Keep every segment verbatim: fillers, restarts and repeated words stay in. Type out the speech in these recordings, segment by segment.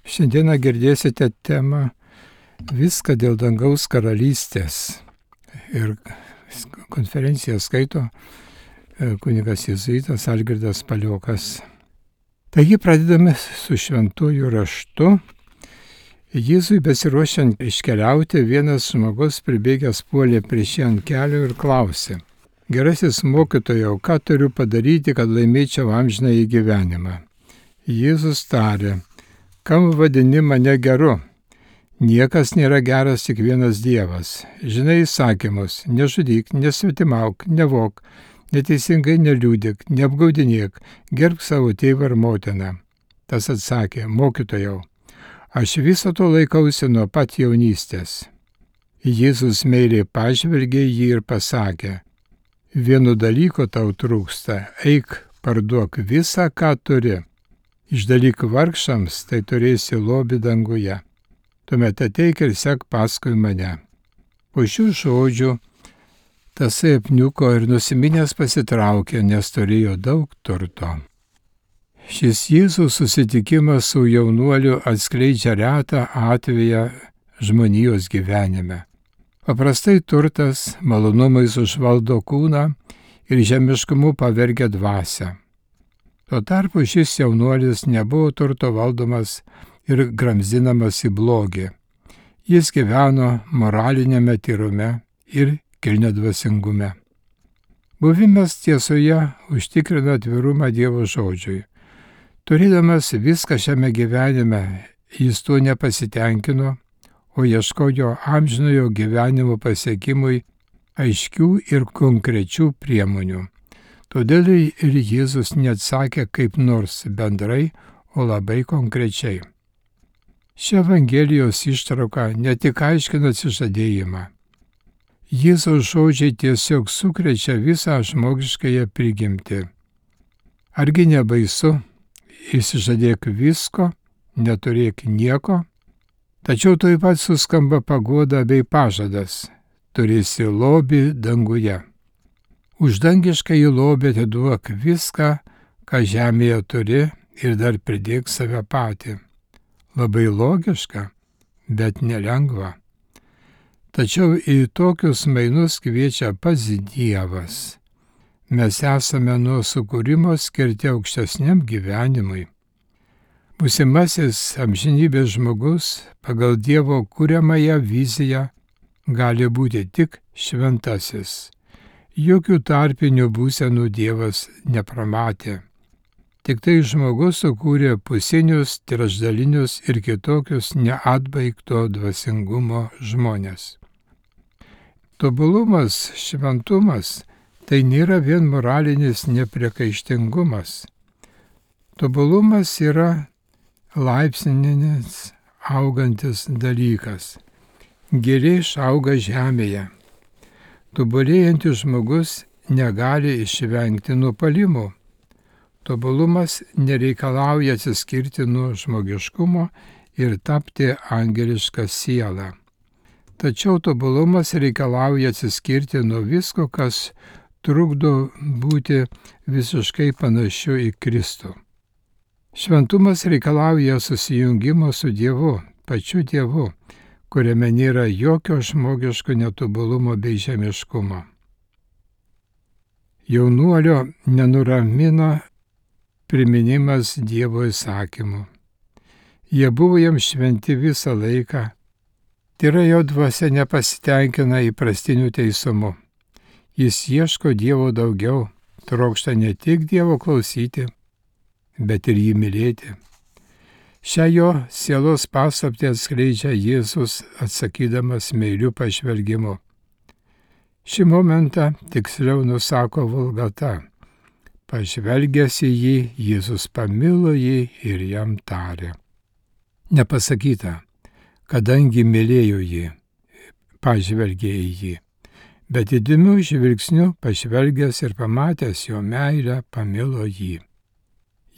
Šiandieną girdėsite temą Viską dėl dangaus karalystės. Ir konferenciją skaito kunigas jėzuitas Algirdas Paliokas. Taigi pradedame su šventuoju raštu. Jėzui besiruošiant iškeliauti, vienas žmogus pribėgęs puolė prieš jį ant kelio ir klausė: Gerasis mokytojau, ką turiu padaryti, kad laimėčiau amžinąjį gyvenimą? Jėzus tarė: Kam vadini mane geru? Niekas nėra geras, tik vienas Dievas. Žinai įsakymus: nežudyk, nesvetimauk, nevok, neteisingai neliūdik, neapgaudinėk, gerbk savo tėvą ir motiną. Tas atsakė: Mokytojau, aš viso to laikausi nuo pat jaunystės. Jėzus meiliai pažvelgė jį ir pasakė: Vieno dalyko tau trūksta, eik, parduok visą, ką turi. Išdalyk vargšams, tai turėsi lobį danguje. Tuomet ateik ir sek paskui mane. Po šių žodžių tasai apniuko ir nusiminęs pasitraukė, nes turėjo daug turto. Šis Jėzaus susitikimas su jaunuoliu atskleidžia retą atveją žmonijos gyvenime. Paprastai turtas malonumais užvaldo kūną ir žemiškumu pavergia dvasią. Tuo tarpu šis jaunuolis nebuvo turto valdomas ir gramzdinamas į blogį. Jis gyveno moralinėme tyrume ir kilniadvasingume. Buvimas tiesoje užtikrina atvirumą Dievo žodžiui. Turėdamas viską šiame gyvenime, jis tuo nepasitenkino, o ieškojo amžinojo gyvenimo pasiekimui aiškių ir konkrečių priemonių. Todėl ir Jėzus neatsakė kaip nors bendrai, o labai konkrečiai. Ši Evangelijos ištrauka ne tik aiškina atsižadėjimą. Jėzaus žodžiai tiesiog sukrečia visą žmogiškąją prigimtį. Argi nebaisu, išsižadėk visko, neturėk nieko, tačiau tuoj pat suskamba paguoda bei pažadas: turėsi lobį danguje. Už dangiškąjį lobį atiduok viską, ką žemėje turi, ir dar pridėk save patį. Labai logiška, bet nelengva. Tačiau į tokius mainus kviečia pats Dievas. Mes esame nuo sukūrimo skirti aukštesniam gyvenimui. Būsimasis amžinybės žmogus pagal Dievo kuriamąją viziją gali būti tik šventasis. Jokių tarpinių būsenų Dievas nepramatė. Tik tai žmogus sukūrė pusinius, trečdalinius ir kitokius neatbaigto dvasingumo žmonės. Tobulumas, šventumas – tai nėra vien moralinis nepriekaištingumas. Tobulumas yra laipsninis, augantis dalykas. Gėlė išauga žemėje. Tobulėjantis žmogus negali išvengti nuopuolimų. Tobulumas nereikalauja atsiskirti nuo žmogiškumo ir tapti angelišką sielą. Tačiau tobulumas reikalauja atsiskirti nuo visko, kas trukdo būti visiškai panašiu į Kristų. Šventumas reikalauja susijungimo su Dievu, pačiu Dievu, kuriame nėra jokio žmogiško netobulumo bei žemiškumo. Jaunuolio nenuramina priminimas Dievo įsakymų. Jie buvo jam šventi visą laiką. Tai yra, jo dvasia nepasitenkina įprastiniu teisumu. Jis ieško Dievo daugiau, trokšta ne tik Dievo klausyti, bet ir jį mylėti. Šią jo sielos paslaptį atskleidžia Jėzus atsakydamas meiliu pažvelgimu. Šį momentą tiksliau nusako Vulgata. Pažvelgęs į jį, Jėzus pamilo jį ir jam tarė. Nepasakyta, kadangi mylėjo jį, pažvelgė į jį, bet įdomiu žvilgsniu pažvelgęs ir pamatęs jo meilę, pamilo jį.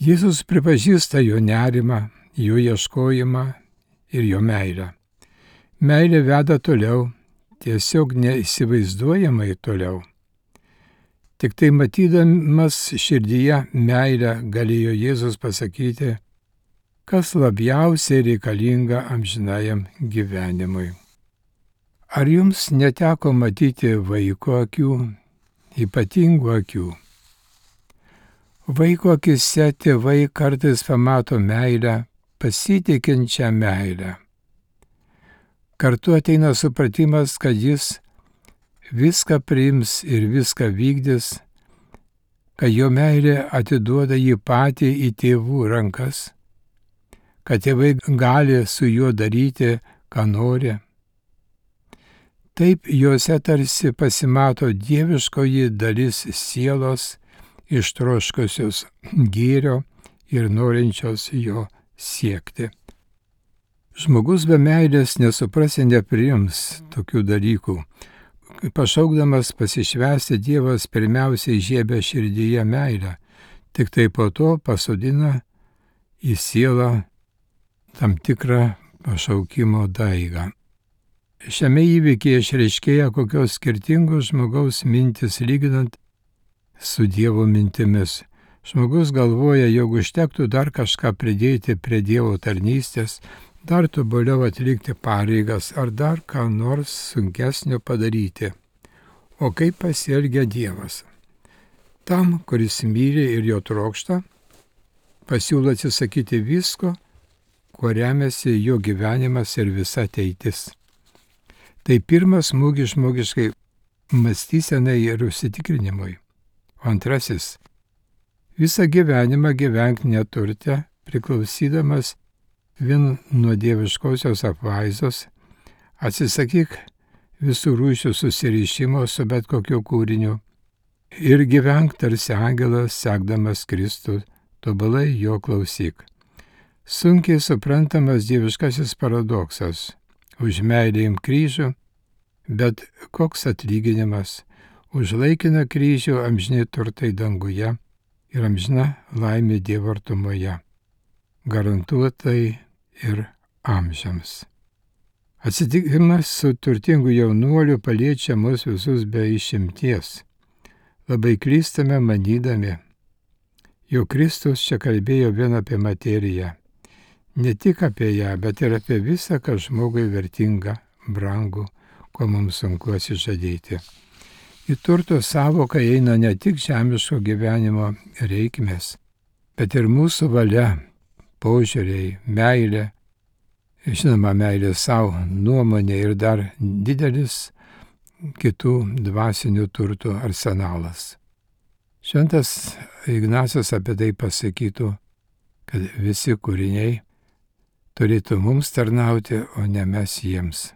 Jėzus pripažįsta jo nerimą, jo ieškojimą ir jo meilę. Meilė veda toliau, tiesiog neįsivaizduojamai toliau. Tik tai matydamas širdyje meilę galėjo Jėzus pasakyti: kas labiausiai reikalinga amžinajam gyvenimui. Ar jums neteko matyti vaiko akių, ypatingų akių? Vaiko akise tėvai kartais pamato meilę, pasitikinčią meilę. Kartu ateina supratimas, kad jis viską priims ir viską vykdys, kad jo meilė atiduoda jį patį į tėvų rankas, kad tėvai gali su juo daryti, ką nori. Taip juose tarsi pasimato dieviškoji dalis sielos, ištroškusios gėrio ir norinčios jo siekti. Žmogus be meilės nesupras ir nepriims tokių dalykų. Pašaukdamas pasišvęsti, Dievas pirmiausiai žiebia širdyje meilę, tik tai po to pasodina į sielą tam tikrą pašaukimo daigą. Šiame įvykyje išreiškėja kokios skirtingos žmogaus mintis lyginant su Dievo mintimis. Žmogus galvoja, jog užtektų dar kažką pridėti prie Dievo tarnystės, dar tobuliau atlikti pareigas ar dar ką nors sunkesnio padaryti. O kaip pasielgia Dievas? Tam, kuris myli ir jo trokšta, pasiūlo atsisakyti visko, kuo remiasi jo gyvenimas ir visa ateitis. Tai pirmas smūgis žmogiškai mąstysenai ir užsitikrinimui. O antrasis – visą gyvenimą gyvenk neturte, priklausydamas vien nuo dieviškosios apvaizdos, atsisakyk visų rūšių susirišimo su bet kokiu kūriniu ir gyvenk tarsi angelas, sekdamas Kristų, tobulai jo klausyk. Sunkiai suprantamas dieviškasis paradoksas. Už meilę imk kryžių, bet koks atlyginimas? Už laikiną kryžių amžini turtai danguje ir amžina laimė Dievo artumoje. Garantuotai ir amžiams. Atsitikimas su turtingu jaunuoliu paliečia mus visus be išimties. Labai klystame manydami, jog Kristus čia kalbėjo vien apie materiją. Ne tik apie ją, bet ir apie visą, kas žmogui vertinga, brangu, ko mums sunku atsižadėti. Į turto savoką eina ne tik žemiško gyvenimo reikmės, bet ir mūsų valia, požiūriai, meilė, žinoma, meilė savo, nuomonė ir dar didelis kitų dvasinių turtų arsenalas. Šventas Ignacas apie tai pasakytų, kad visi kūriniai turėtų mums tarnauti, o ne mes jiems.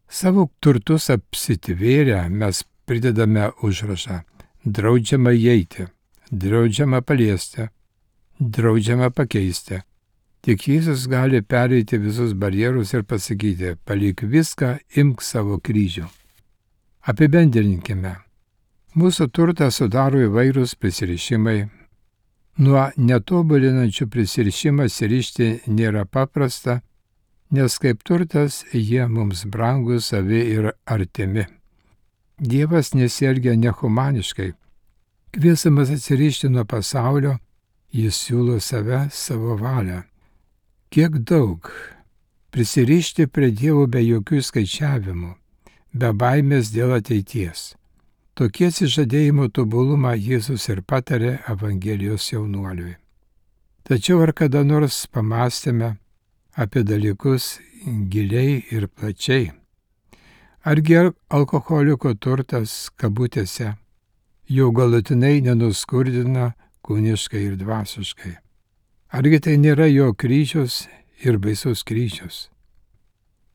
Savo turtus apsitvėrę mes pridedame užrašą: draudžiama įeiti, draudžiama paliesti, draudžiama pakeisti. Tik Jėzus gali pereiti visus barjerus ir pasakyti: palik viską, imk savo kryžių. Apibendrinkime. Mūsų turtą sudaro įvairūs prisirišimai. Nuo netobulinančių prisirišimą sirišti nėra paprasta, nes kaip turtas jie mums brangus, savi ir artimi. Dievas nesielgia nehumaniškai. Kviesdamas atsirišti nuo pasaulio, jis siūlo save, savo valią. Kiek daug prisirišti prie Dievo be jokių skaičiavimų, be baimės dėl ateities. Tokie atsižadėjimo tobulumą Jėzus ir patarė Evangelijos jaunuoliui. Tačiau ar kada nors pamastėme apie dalykus giliai ir plačiai? Argi alkoholiko turtas, kabutėse, jau galutinai nenuskurdina kūniškai ir dvasiškai? Argi tai nėra jo kryžius ir baisus kryžius?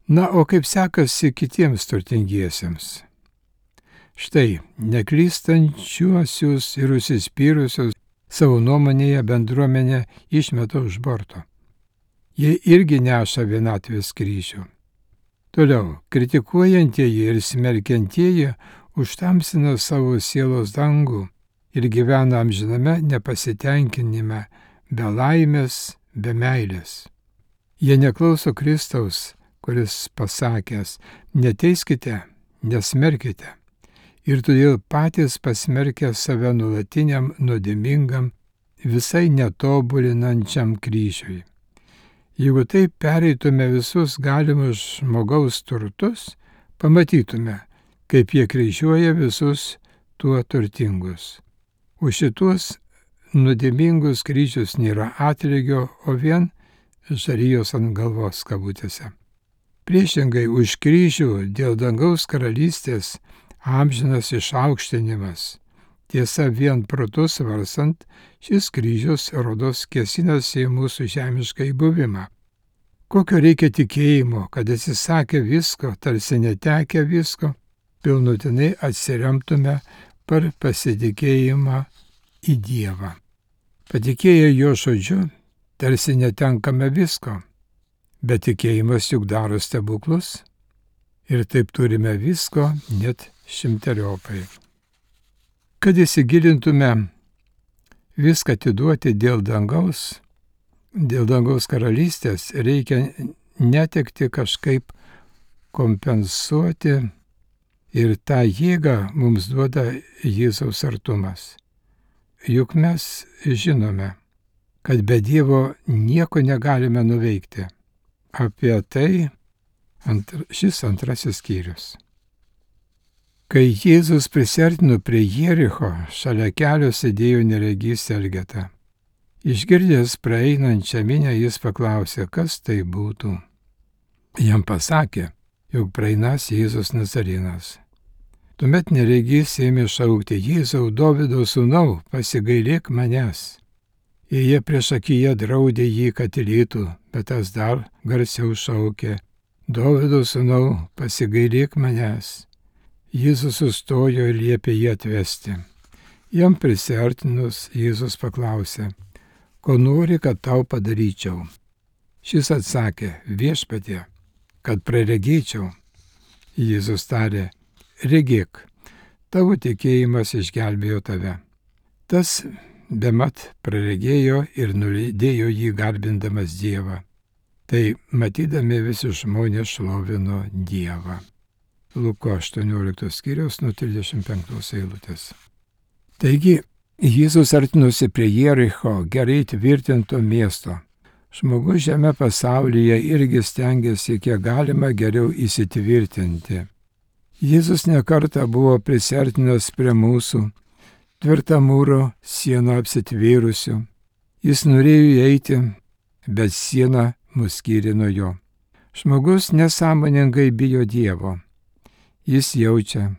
Na, o kaip sekasi kitiems turtingiesiems? Štai, neklystančiuosius ir užsispyrusius savo nuomonėje bendruomenė išmeta už borto. Jie irgi neša vienatvės kryžių. Toliau, kritikuojantieji ir smerkiantieji užtamsina savo sielos dangų ir gyvena amžiname nepasitenkinime, be laimės, be meilės. Jie neklauso Kristaus, kuris pasakęs: neteiskite, nesmerkite. Ir todėl patys pasmerkia save nuolatiniam, nuodėmingam, visai netobulinančiam kryžiui. Jeigu taip pereitume visus galimus žmogaus turtus, pamatytume, kaip jie kryžiuoja visus tuo turtingus. Už šituos nuodėmingus kryžius nėra atlygio, o vien žarijos ant galvos kabutėse. Priešingai už kryžių dėl dangaus karalystės amžinas išaukštinimas. Tiesa, vien protu svarstant, šis kryžius rodos kėsinasi į mūsų žemišką įbuvimą. Kokio reikia tikėjimo, kad atsisakę visko, tarsi netekę visko, pilnutinai atsiremtume per pasitikėjimą į Dievą. Patikėję jo žodžiu, tarsi netenkame visko, bet tikėjimas juk daro stebuklus ir taip turime visko net šimteriopai. Kad įsigilintume viską atiduoti dėl dangaus, dėl dangaus karalystės, reikia netekti kažkaip kompensuoti ir tą jėgą mums duoda Jėzaus artumas. Juk mes žinome, kad be Dievo nieko negalime nuveikti. Apie tai antr, šis antrasis skyrius. Kai Jėzus prisiartino prie Jericho, šalia kelio sėdėjo neregys Elgeta. Išgirdęs praeinančią minią, jis paklausė, kas tai būtų. Jam pasakė, jog praeinas Jėzus Nazarenas. Tuomet neregys ėmė šaukti, Jėzau, Dovydo sūnau, pasigailėk manęs. Ir jie prieš akiją draudė jį, kad tylėtų, bet tas dar garsiau šaukė, Dovydo sūnau, pasigailėk manęs. Jėzus sustojo ir liepė jį atvesti. Jam prisiartinus Jėzus paklausė, ko nori, kad tau padaryčiau. Šis atsakė, viešpatie, kad praregėčiau. Jėzus tarė, regėk, tavo tikėjimas išgelbėjo tave. Tas bemat praregėjo ir nulydėjo jį garbindamas Dievą. Tai matydami visi žmonės šlovino Dievą. Luko aštuonioliktos skyriaus nuo trisdešimt penktos eilutės. Taigi, Jėzus artinosi prie Jericho, gerai tvirtinto miesto. Žmogus šiame pasaulyje irgi stengiasi kiek galima geriau įsitvirtinti. Jėzus nekartą buvo prisiartinęs prie mūsų, tvirtą mūro sieną apsitvėrusių. Jis norėjo eiti, bet siena mus skyrė nuo jo. Žmogus nesąmoningai bijo Dievo. Jis jaučia,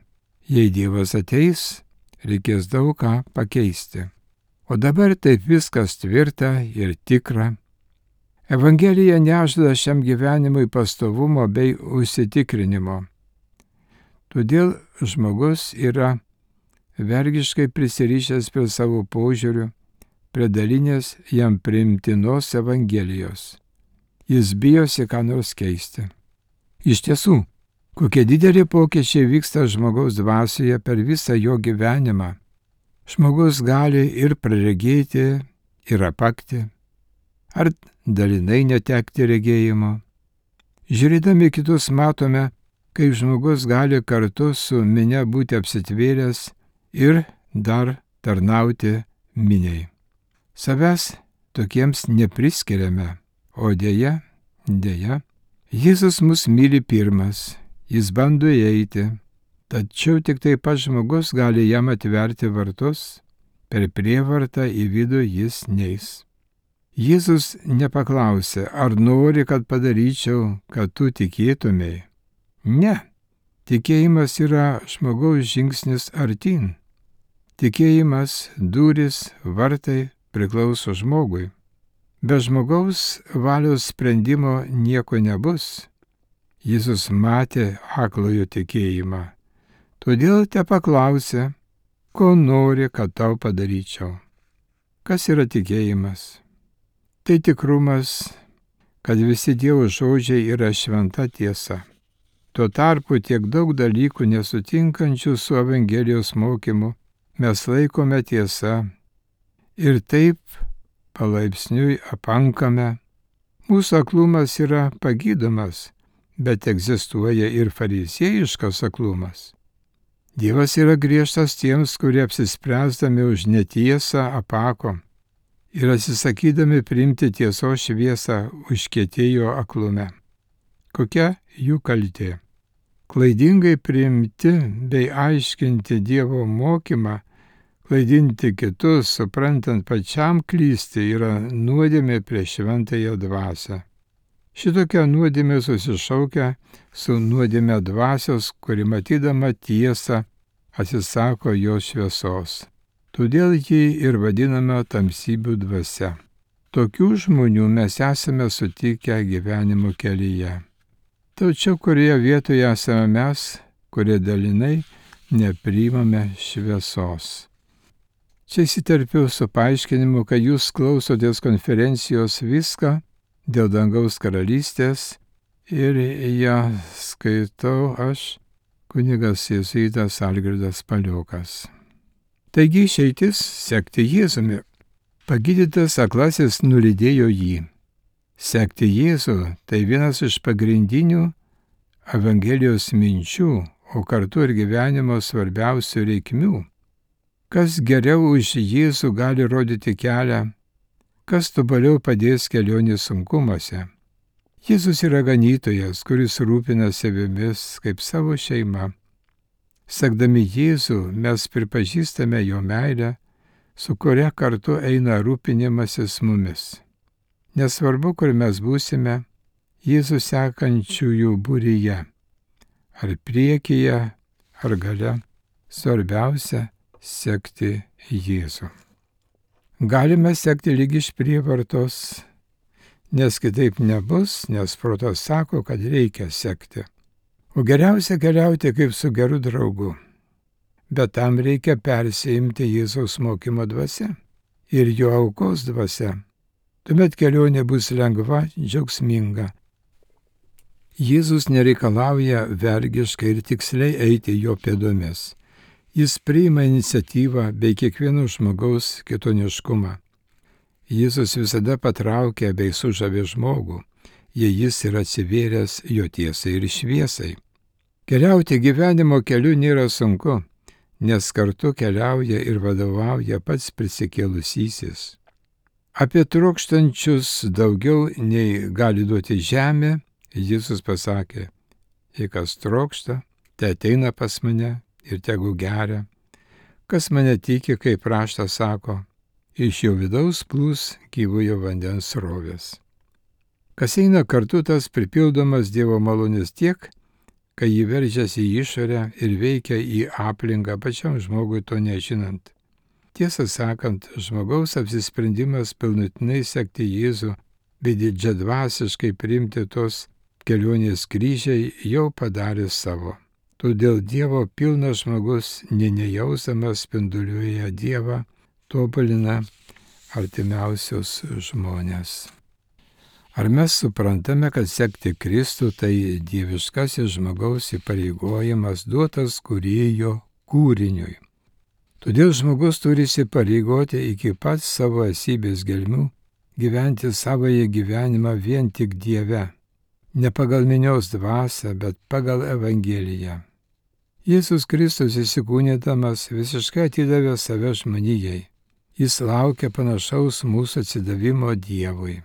jei Dievas ateis, reikės daug ką pakeisti. O dabar taip viskas tvirta ir tikra. Evangelija nežada šiam gyvenimui pastovumo bei užsitikrinimo. Todėl žmogus yra vergiškai prisirišęs prie savo požiūrių, prie dalinės jam priimtinos Evangelijos. Jis bijosi ką nors keisti. Iš tiesų, kokie dideli pokyčiai vyksta žmogaus dvasioje per visą jo gyvenimą. Žmogus gali ir praregėti, ir apakti, ar dalinai netekti regėjimo. Žiūrėdami kitus matome, kaip žmogus gali kartu su minia būti apsitvėręs ir dar tarnauti miniai. Savęs tokiems nepriskiriame, o dėja, dėja, Jėzus mus myli pirmas. Jis bando įeiti, tačiau tik taip pat žmogus gali jam atverti vartus, per prievartą į vidų jis neis. Jėzus nepaklausė, ar nori, kad padaryčiau, kad tu tikėtumei. Ne, tikėjimas yra žmogaus žingsnis artyn. Tikėjimas, durys, vartai priklauso žmogui. Be žmogaus valios sprendimo nieko nebus. Jėzus matė aklojo tikėjimą, todėl te paklausė, ko nori, kad tau padaryčiau. Kas yra tikėjimas? Tai tikrumas, kad visi Dievo žodžiai yra šventa tiesa. Tuo tarpu tiek daug dalykų nesutinkančių su Evangelijos mokymu mes laikome tiesa ir taip palaipsniui apankame. Mūsų aklumas yra pagydomas, bet egzistuoja ir fariziejiškas aklumas. Dievas yra griežtas tiems, kurie apsispręsdami už netiesą apako. ir atsisakydami priimti tiesos šviesą užkietėjo aklume. Kokia jų kaltė? Klaidingai priimti bei aiškinti Dievo mokymą, klaidinti kitus, suprantant pačiam klysti, yra nuodėmė prieš šventąją dvasią. Šitokia nuodėmė susišaukia su nuodėmė dvasios, kuri matydama tiesą atsisako jos šviesos. Todėl jį ir vadiname tamsybių dvasia. Tokių žmonių mes esame sutikę gyvenimo kelyje. Tačiau kurioje vietoje esame mes, kurie dalinai nepriimame šviesos. Čia įsiterpiu su paaiškinimu, kad jūs klausotės konferencijos Viską dėl dangaus karalystės ir ją skaitau aš, kunigas jėzuitas Algirdas Paliokas. Taigi išeitis sekti Jėzumi. Pagydytas aklasis nulydėjo jį. Sekti Jėzų tai vienas iš pagrindinių Evangelijos minčių, o kartu ir gyvenimo svarbiausių reikmių. Kas geriau už Jėzų gali rodyti kelią, kas tobaliau padės kelionės sunkumuose. Jėzus yra ganytojas, kuris rūpina savimis kaip savo šeima. Sekdami Jėzų mes pripažįstame jo meilę, su kuria kartu eina rūpinimasis mumis. Nesvarbu, kur mes būsime, Jėzų sekančiųjų būryje, ar priekyje, ar gale, svarbiausia sekti Jėzų. Galime sekti lyg iš prievartos, nes kitaip nebus, nes protas sako, kad reikia sekti. O geriausia keliauti kaip su geru draugu. Bet tam reikia persiimti Jėzaus mokymo dvasia ir jo aukos dvasia. Tuomet kelionė bus lengva, džiaugsminga. Jėzus nereikalauja vergiškai ir tiksliai eiti jo pėdomis. Jis priima iniciatyvą bei kiekvieno žmogaus kitoniškumą. Jėzus visada patraukia bei sužavė žmogų, jei jis yra atsivėręs jo tiesai ir šviesai. Keliauti gyvenimo keliu nėra sunku, nes kartu keliauja ir vadovauja pats prisikėlusysis. Apie trokštančius daugiau nei gali duoti žemė, Jėzus pasakė, jei kas trokšta, te ateina pas mane ir tegu geria. Kas mane tiki, kaip raštas sako, iš jo vidaus plūs gyvojo vandens srovės. Kas eina kartu, tas pripildomas Dievo malonės tiek, kai jį veržiasi į išorę ir veikia į aplinką pačiam žmogui to nežinant. Tiesą sakant, žmogaus apsisprendimas pilnutinai sekti Jėzų bei didžiadvasiškai priimti tos kelionės kryžiai jau padarė savo. Todėl Dievo pilnas žmogus, nė nejausamas, spinduliuoja Dievą, tobulina artimiausius žmonės. Ar mes suprantame, kad sekti Kristų tai dieviškasis žmogaus įpareigojimas duotas kūrėjo kūriniui? Todėl žmogus turi įsipareigoti iki pat savo esybės gelmių gyventi savąjį gyvenimą vien tik Dieve, ne pagal minios dvasią, bet pagal Evangeliją. Jėzus Kristus įsikūnydamas visiškai atidavė save žmonijai. Jis laukia panašaus mūsų atsidavimo Dievui.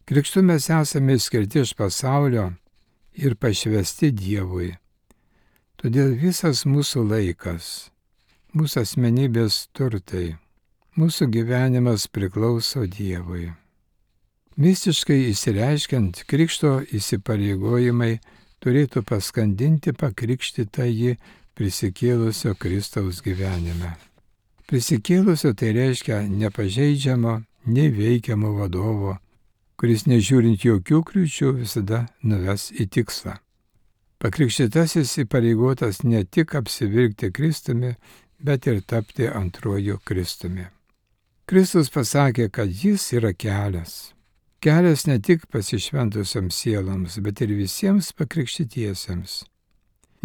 Krikštu mes esame skirti iš pasaulio ir pašvesti Dievui. Todėl visas mūsų laikas, mūsų asmenybės turtai, mūsų gyvenimas priklauso Dievui. Mistiškai įsireiškiant, krikšto įsipareigojimai turėtų paskandinti pakrikštytąjį prisikėlusio Kristaus gyvenime. Prisikėlusio tai reiškia nepažeidžiamo, neveikiamo vadovo, kuris nežiūrint jokių kliūčių visada nuves į tikslą. Pakrikštytasis įpareigotas ne tik apsivilkti Kristumi, bet ir tapti antruoju Kristumi. Kristus pasakė, kad jis yra kelias. Kelias ne tik pasišventusiams sieloms, bet ir visiems pakrikštytiesiems.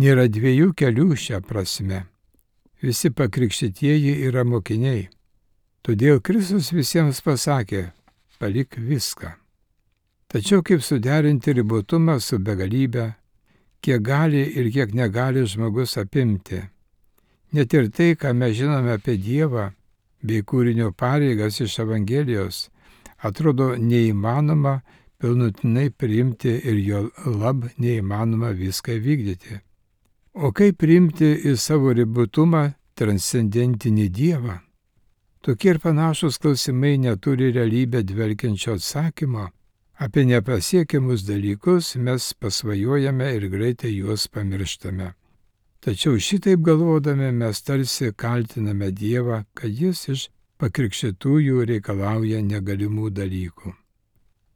Nėra dviejų kelių šią prasme. Visi pakrikštytieji yra mokiniai. Todėl Kristus visiems pasakė, palik viską. Tačiau kaip suderinti ribotumą su begalybė, kiek gali ir kiek negali žmogus apimti. Net ir tai, ką mes žinome apie Dievą, bei kūrinio pareigas iš Evangelijos, atrodo neįmanoma pilnutinai priimti ir jo lab neįmanoma viską vykdyti. O kaip priimti į savo ribotumą transcendentinį Dievą? Tokie ir panašus klausimai neturi realybę dvelkiančio atsakymo. Apie nepasiekiamus dalykus mes pasvajojame ir greitai juos pamirštame. Tačiau šitaip galvodami mes tarsi kaltiname Dievą, kad jis iš pakrikštytųjų reikalauja negalimų dalykų.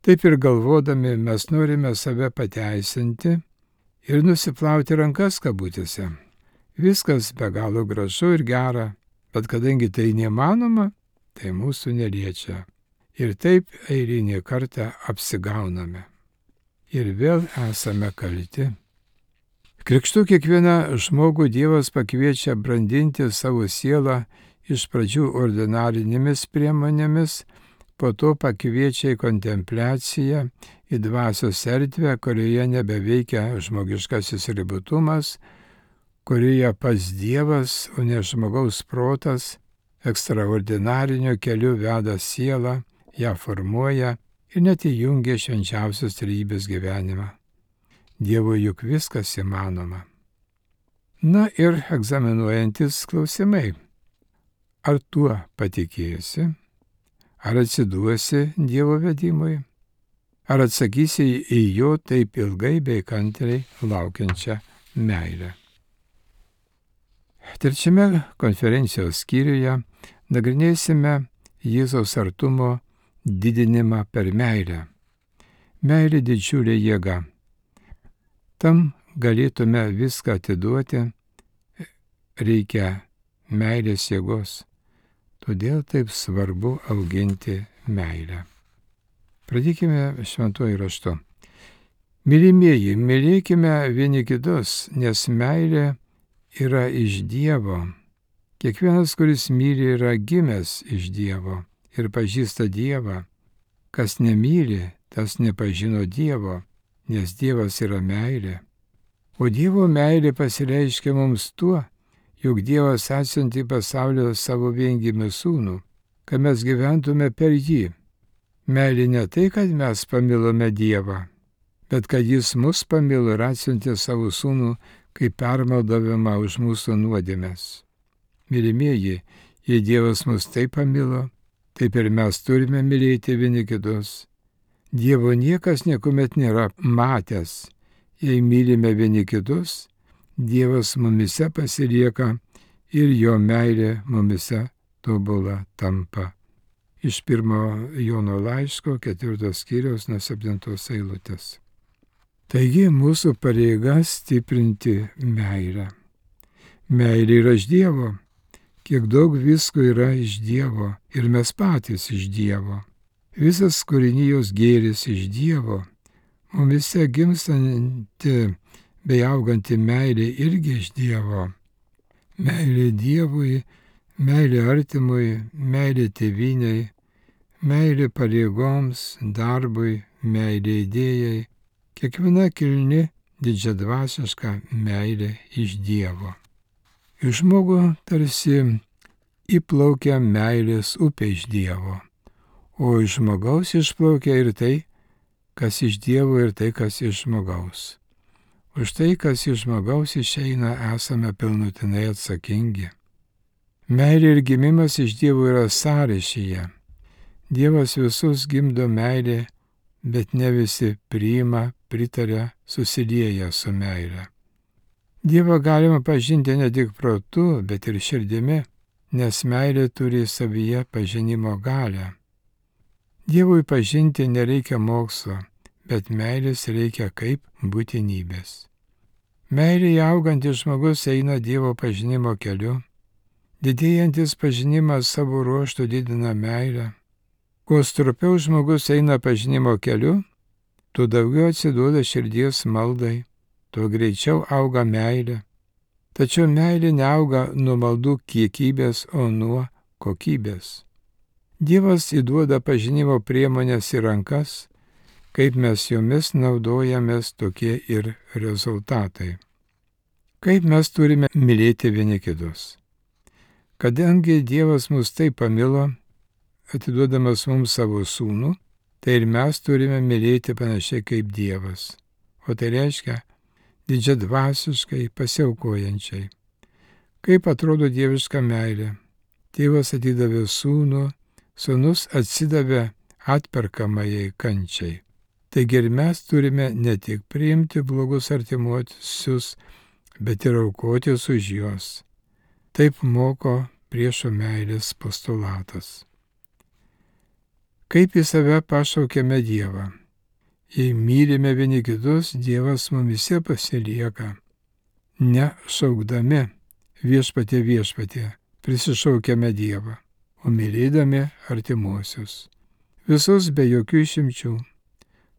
Taip ir galvodami mes norime save pateisinti ir nusiplauti rankas kabutėse. Viskas be galo gražu ir gera, bet kadangi tai neįmanoma, tai mūsų neliečia. Ir taip eilinį kartą apsigauname. Ir vėl esame kalti. Krikštu kiekvieną žmogų Dievas pakviečia brandinti savo sielą iš pradžių ordinarinėmis priemonėmis, po to pakviečia į kontempliaciją, į dvasios erdvę, kurioje nebeveikia žmogiškasis ribotumas, kurioje pats Dievas, o ne žmogaus protas, ekstraordinarinio keliu veda sielą, ją formuoja ir net įjungia švenčiausios trejybės gyvenimą. Dievui juk viskas įmanoma. Na ir egzaminuojantis klausimai. Ar tuo patikėsi? Ar atsiduosi Dievo vedimui? Ar atsakysi į jo taip ilgai bei kantriai laukiančią meilę? Trečiame konferencijos skyriuje nagrinėsime Jėzaus artumo didinimą per meilę. Meilė didžiulė jėga. Tam galėtume viską atiduoti, reikia meilės jėgos. Todėl taip svarbu auginti meilę. Pradėkime šventuoju raštu. Mylimieji, mylėkime vieni kitus, nes meilė yra iš Dievo. Kiekvienas, kuris myli, yra gimęs iš Dievo ir pažįsta Dievą. Kas nemyli, tas nepažino Dievo, nes Dievas yra meilė. O Dievo meilė pasireiškia mums tuo, jog Dievas atsiuntė į pasaulį savo viengimį sūnų, kad mes gyventume per jį. Meilė ne tai, kad mes pamilome Dievą, bet kad jis mus pamilo ir atsiuntė savo sūnų kaip permaldavimą už mūsų nuodėmes. Mylimieji, jei Dievas mus taip pamilo, taip ir mes turime mylėti vieni kitus. Dievo niekas niekuomet nėra matęs. Jei mylime vieni kitus, Dievas mumise pasilieka ir jo meilė mumise tobula tampa. Iš pirmo Jono laiško ketvirtos skyriaus nuo septintos eilutės. Taigi mūsų pareiga stiprinti meilę. Meilė yra iš Dievo. Kiek daug visko yra iš Dievo ir mes patys iš Dievo. Visas kūrinijos gėris iš Dievo. Mumise gimstanti bei auganti meilė irgi iš Dievo. Meilė Dievui, meilė artimui, meilė tėvynei, meilė pareigoms, darbui, meilė idėjai. Kiekviena kilni didžiadvasiška meilė iš Dievo. Iš žmogų tarsi įplaukia meilės upė iš Dievo, o iš žmogaus išplaukia ir tai, kas iš Dievo ir tai, kas iš žmogaus. Už tai, kas iš žmogaus išeina, esame pilnutinai atsakingi. Meilė ir gimimas iš Dievo yra sąryšyje. Dievas visus gimdo meilė, bet ne visi priima, pritaria, susilieja su meilė. Dievą galima pažinti ne tik protu, bet ir širdimi, nes meilė turi savyje pažinimo galią. Dievui pažinti nereikia mokslo, bet meilės reikia kaip būtinybės. Meilėje augantis žmogus eina Dievo pažinimo keliu. Didėjantis pažinimas savo ruožtu didina meilę. Kuo stropiau žmogus eina pažinimo keliu, tuo daugiau atsiduoda širdies maldai, tuo greičiau auga meilė. Tačiau meilė neauga nuo maldų kiekybės, o nuo kokybės. Dievas įduoda pažinimo priemonės į rankas, kaip mes jomis naudojamės, tokie ir rezultatai. Kaip mes turime mylėti vieni kitus. Kadangi Dievas mus taip pamilo, atiduodamas mums savo sūnų, tai ir mes turime mylėti panašiai kaip Dievas. O tai reiškia didžiadvasiškai, pasiaukojančiai. Kaip atrodo dieviška meilė? Tėvas atidavė sūnų, sūnus atsidavė atperkamajai kančiai. Taigi ir mes turime ne tik priimti blogus artimuosius, bet ir aukotis už juos. Taip moko priešo meilės postulatas. Kaip į save pašaukėme Dievą? Jei mylime vieni kitus, Dievas mumise pasilieka. Ne šaukdami viešpatie viešpatie, prisišaukėme Dievą, o mylėdami artimuosius. Visus be jokių išimčių.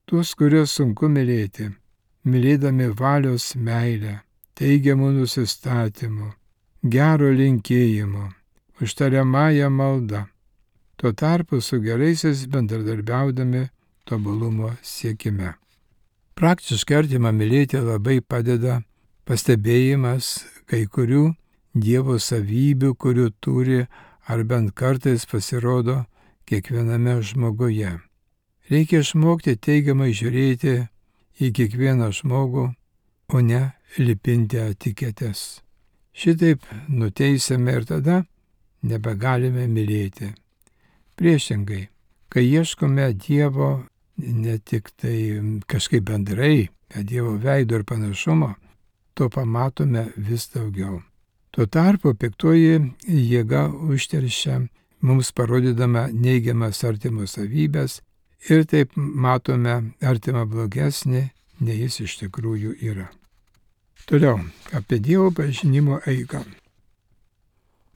Tuos, kuriuos sunku mylėti, mylėdami valios meilę, teigiamų nusistatymų, gero linkėjimo, užtariamąją maldą. Tuo tarpu su geraisiais bendradarbiaudami tobulumo siekime. Praktiškai artimą mylėti labai padeda pastebėjimas kai kurių Dievo savybių, kurių turi ar bent kartais pasirodo kiekviename žmoguje. Reikia išmokti teigiamai žiūrėti į kiekvieną žmogų, o ne lipinti etiketes. Šitaip nuteisėme ir tada nebegalime mylėti. Priešingai, kai ieškome Dievo ne tik tai kažkaip bendrai, bet Dievo veido ir panašumo, to pamatome vis daugiau. Tuo tarpu piktoji jėga užteršia mums parodydama neigiamas artimo savybės ir taip matome artimą blogesnį, nei jis iš tikrųjų yra. Toliau, apie Dievo pažinimo eigą.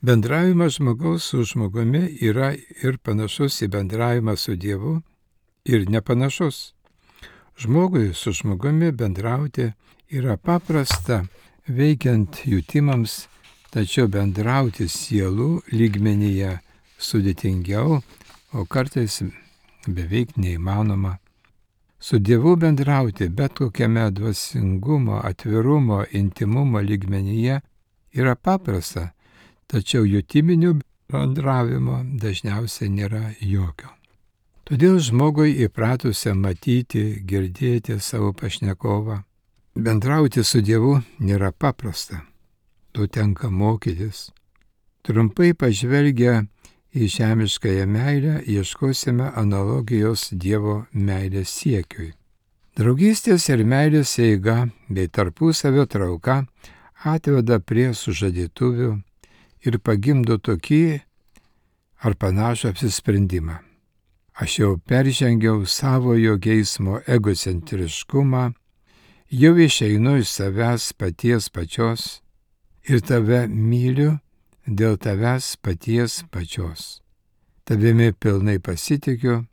Bendravimas žmogaus su žmogumi yra ir panašus į bendravimą su Dievu, ir nepanašus. Žmogui su žmogumi bendrauti yra paprasta, veikiant jutimams, tačiau bendrauti sielų lygmenyje sudėtingiau, o kartais beveik neįmanoma. Su Dievu bendrauti bet kokiame dvasingumo, atvirumo, intimumo lygmenyje yra paprasta, tačiau jutiminių bendravimo dažniausiai nėra jokio. Todėl žmogui įpratusiam matyti, girdėti savo pašnekovą, bendrauti su Dievu nėra paprasta. To tenka mokytis. Trumpai pažvelgę į žemiškąją meilę, ieškosime analogijos Dievo meilės siekiui. Draugystės ir meilės eiga bei tarpusavio trauka atveda prie sužadėtuvių ir pagimdo tokį ar panašų apsisprendimą. Aš jau peržengiau savojo geismo egocentriškumą, jau išeinu iš savęs paties pačios ir tave myliu dėl tavęs paties pačios. Tavimi pilnai pasitikiu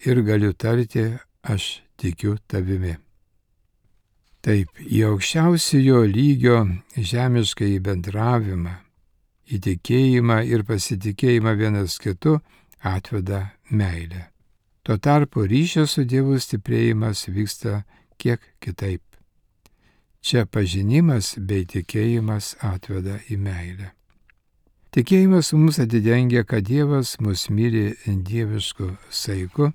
ir galiu tarti, aš tikiu tavimi. Taip, į aukščiausiojo lygio žemišką į bendravimą, į tikėjimą ir pasitikėjimą vienas kitu atveda meilė. Tuo tarpu ryšio su Dievu stiprėjimas vyksta kiek kitaip. Čia pažinimas bei tikėjimas atveda į meilę. Tikėjimas mums atidengia, kad Dievas mus myli dievišku saiku,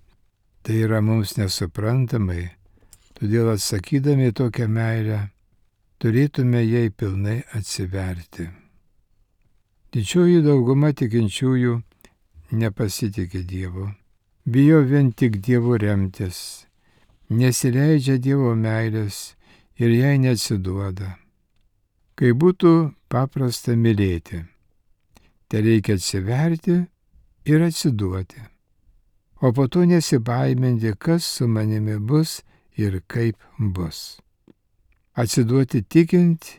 tai yra mums nesuprantamai, todėl atsakydami tokią meilę turėtume jai pilnai atsiverti. Didžioji dauguma tikinčiųjų nepasitikė Dievu, bijo vien tik Dievu remtis, nesileidžia Dievo meilės ir jai neatsiduoda. Kai būtų paprasta mylėti, tai reikia atsiverti ir atsiduoti, o po to nesibaiminti, kas su manimi bus ir kaip bus. Atsiduoti tikint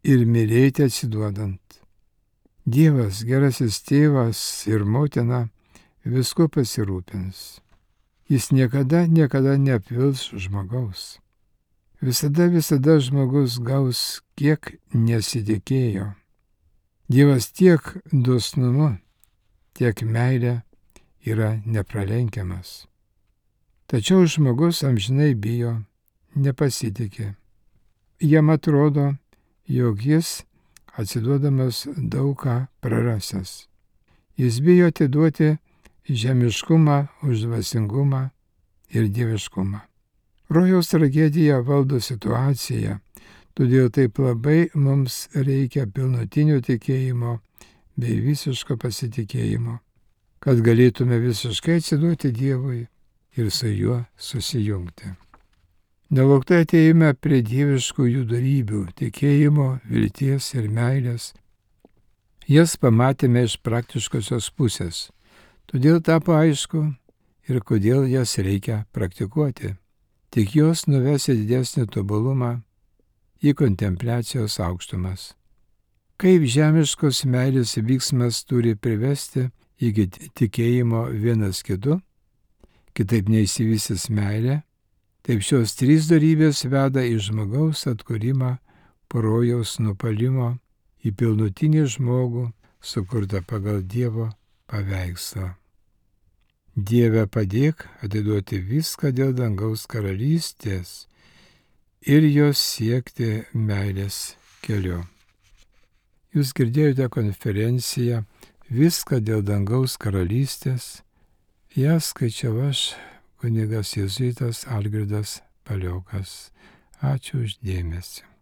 ir mylėti atsiduodant. Dievas, gerasis tėvas ir motina, visko pasirūpins. Jis niekada, niekada neapvils žmogaus. Visada, visada žmogus gaus, kiek nesitikėjo. Dievas tiek dosnumu, tiek meilė yra nepralenkiamas. Tačiau žmogus amžinai bijo, nepasitikė. Jam atrodo, jog jis atsiduodamas daug ką prarasęs. Jis bijo atiduoti žemiškumą už dvasingumą ir dieviškumą. Rojaus tragedija valdo situaciją, todėl taip labai mums reikia pilnutinio tikėjimo bei visiško pasitikėjimo, kad galėtume visiškai atsiduoti Dievui ir su juo susijungti. Nelauktai atėjome prie dieviškųjų darybių, tikėjimo, vilties ir meilės. Jas pamatėme iš praktiškosios pusės, todėl tapo aišku ir kodėl jas reikia praktikuoti. Tik jos nuves į didesnį tobulumą, į kontempliacijos aukštumas. Kaip žemiškos meilės vyksmas turi privesti iki tikėjimo vienas kitu, kitaip neįsivystys meilė, taip šios trys darybės veda į žmogaus atkūrimą po rojaus nupalimo, į pilnutinį žmogų, sukurtą pagal Dievo paveikslą. Dieve padėk atiduoti viską dėl dangaus karalystės ir jos siekti meilės keliu. Jūs girdėjote konferenciją Viską dėl dangaus karalystės. Ją skaičiau aš, kunigas jėzuitas Algirdas Paliokas. Ačiū už dėmesį.